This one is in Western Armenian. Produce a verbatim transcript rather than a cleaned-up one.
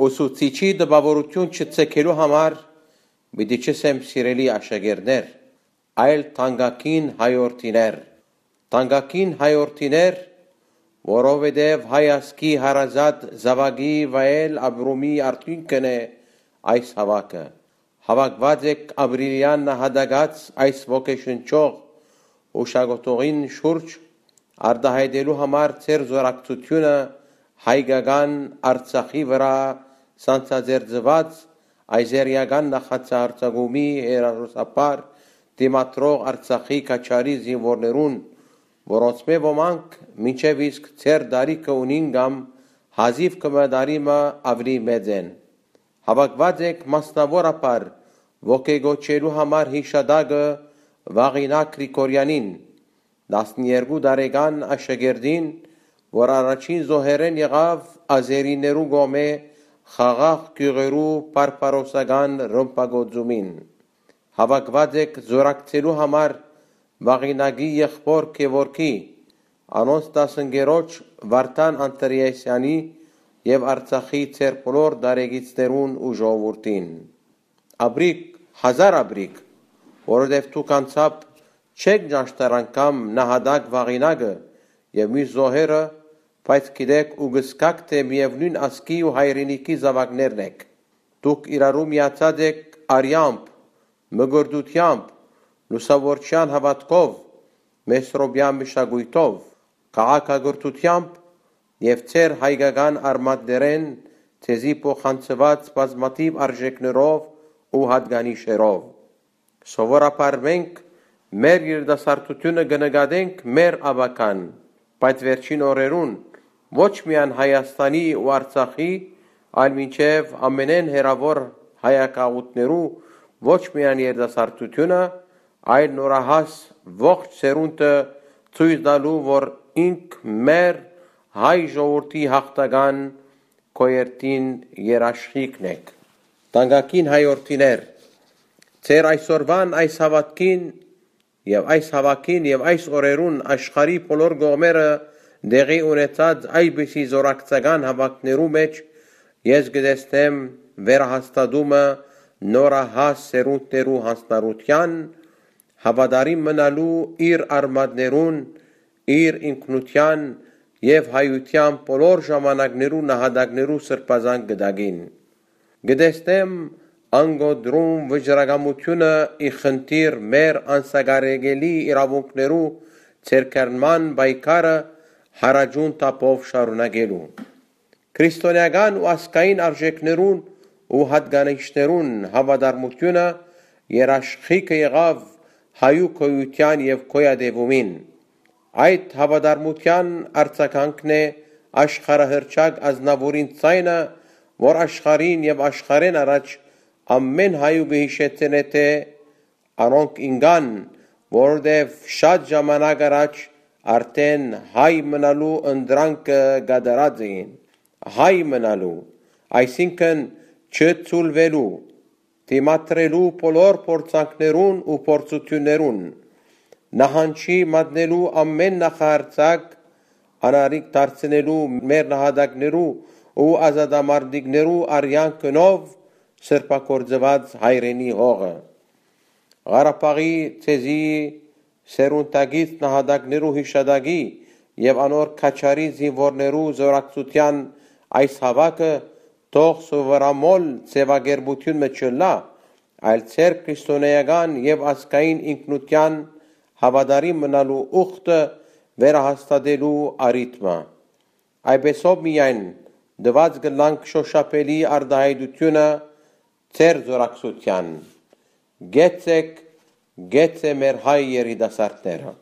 Ուսուցիչի տպաւորութիւն չցկելու համար պիտի չըսեմ, սիրելի աշակերտներ, այլ թանկագին հայորդիներ։ Թանկագին հայորդիներ, որովհետեւ հայ ազգի հարազատ զաւակի վայել ապրումի արդիւնքն է այս հաւաքը։ Հաւաքուած եք ապրիլեան նահատակաց այս ոգեշնչող յուշակոթողին շուրջ, արտայայտելու համար ձեր զօրակցութիւնը հայկական Արցախի վրայ սանձազերծուած ազերիական նախաձ արձակումի հեռախօսաբար դիմադրող Արցախի քաջարի զինուորներուն, որոնցմէ ոմանք մինչեւ իսկ ձեր տարիքը ունին կամ հազիւ կը մտարի մը աւելի մեծ են։ Հաւաքուած եք մասնաւորաբար ոգեկոչելու համար յիշատակը Վաղինակ Գրիգորեանին, տասներկու տարեկան աշակերտին, որ առաջին զոհերէն եղաւ ազերիներու կողմէ խաղաղ գիւղերու բարբարոսական ռմբակոծումին։ Հաւաքուած եք զօրակցելու համար Վաղինակի եղբօր Գեորգի, անոնց դասընկերոջ Վարդան Անդրեասեանի եւ Արցախի ձեր բոլոր տարեկիցներուն ու ժողովուրդին։ Ապրիք, հազար ապրիք, որովհետեւ դուք անձամբ չեք ճանչնար անգամ նահատակ Վաղինակը եւ միւս զոհերը, բայց գիտէք ու կ'զգաք թէ միեւնոյն ազգի ու հայրենիքի զաւակներն էք։ Դուք իրարու միացած էք արեամբ, մկրտութեամբ, լուսաւորչեան հաւատքով, մեսրոպեան մշակոյթով, քաղաքակրթութեամբ եւ ձեր հայկական արմատներէն ձեզի փոխանցուած բազմաթիւ արժէքներով ու յատկանիշերով։ Սովորաբար մենք մեր երիտասարդութիւնը կը նկատենք մեր աւագան, բայց վերջին օրերուն ոչ միայն Հայաստանի ու Արցախի, այլ մինչեւ ամենէն հեռաւոր հայագաղութներու ոչ միայն երիտասարդութիւնը, այլ նորահաս ողջ սերունդը ցոյց տալու, որ ինք մեր հայ ժողովուրդի յաղթական գոյերթին երաշխիքն է։ Թանկագին հայորդիներ, ձեր այսօրուան այս հաւատքին եւ այս հաւաքին եւ այս օրերուն աշխարհի բոլոր կողմերը տեղի ունեցած այսպիսի զօրակցական հաւաքներու մէջ ես կը տեսնեմ վերահաստատումը նորահաս սերունդներու յանձնառութեան, հաւատարիմ մնալու իր արմատներուն, իր ինքնութեան եւ հայութեան բոլոր ժամանակներու նահատակներու սրբազան կտակին։ Կը տեսնեմ անկոտրում վճռակամութիւնը ի խնդիր մեր անսակարկելի իրաւունքներու ձեռքբերման պայքարը յարաճուն թափով շարունակելու։ Քրիստոնէական ու ազգային արժէքներուն ու յատկանիշներուն հաւատարմութիւնը երաշխիքը եղաւ հայու գոյութեան եւ գոյատեւումին։ Այդ հաւատարմութեան արձագանքն է աշխարհահռչակ Ազնաւուրին ձայնը, որ աշխարհին եւ աշխարհէն առաջ ամէն հայու կը յիշեցնէ թէ անոնք ինկան, որովհետեւ շատ ժամանակ առաջ արդէն հայ մնալու ընտրանքը կատարած էին։ Հայ մնալու, այսինքն՝ չցուլուելու, դիմադրելու բոլոր փորձանքներուն ու փորձութիւններուն, նահանջի մատնելու ամէն նախահարձակ, անարիք դարձնելու մեր նահատակներու ու ազատամարտիկներու արեան գնով սրբագործուած հայրենի հողը։ Ղարաբաղի ձեզի սերունդակից նահատակներու յիշատակի եւ անոր քաջարի զինուորներու զօրակցութեան այս հաւաքը թող սովորամոլ ձեւակերպութիւն մը չըլլայ, այլ ձեր քրիստոնէական եւ ազգային ինքնութեան հաւատարիմ մնալու ուխտը վերահաստատելու առիթ մը։ Այսպեսով միայն տուած կ'ըլլանք շոշափելի արտայայտութիւնը ձեր զօրակցութեան։ Կեցցեք, կեցցե մեր հայ երիտասարդները։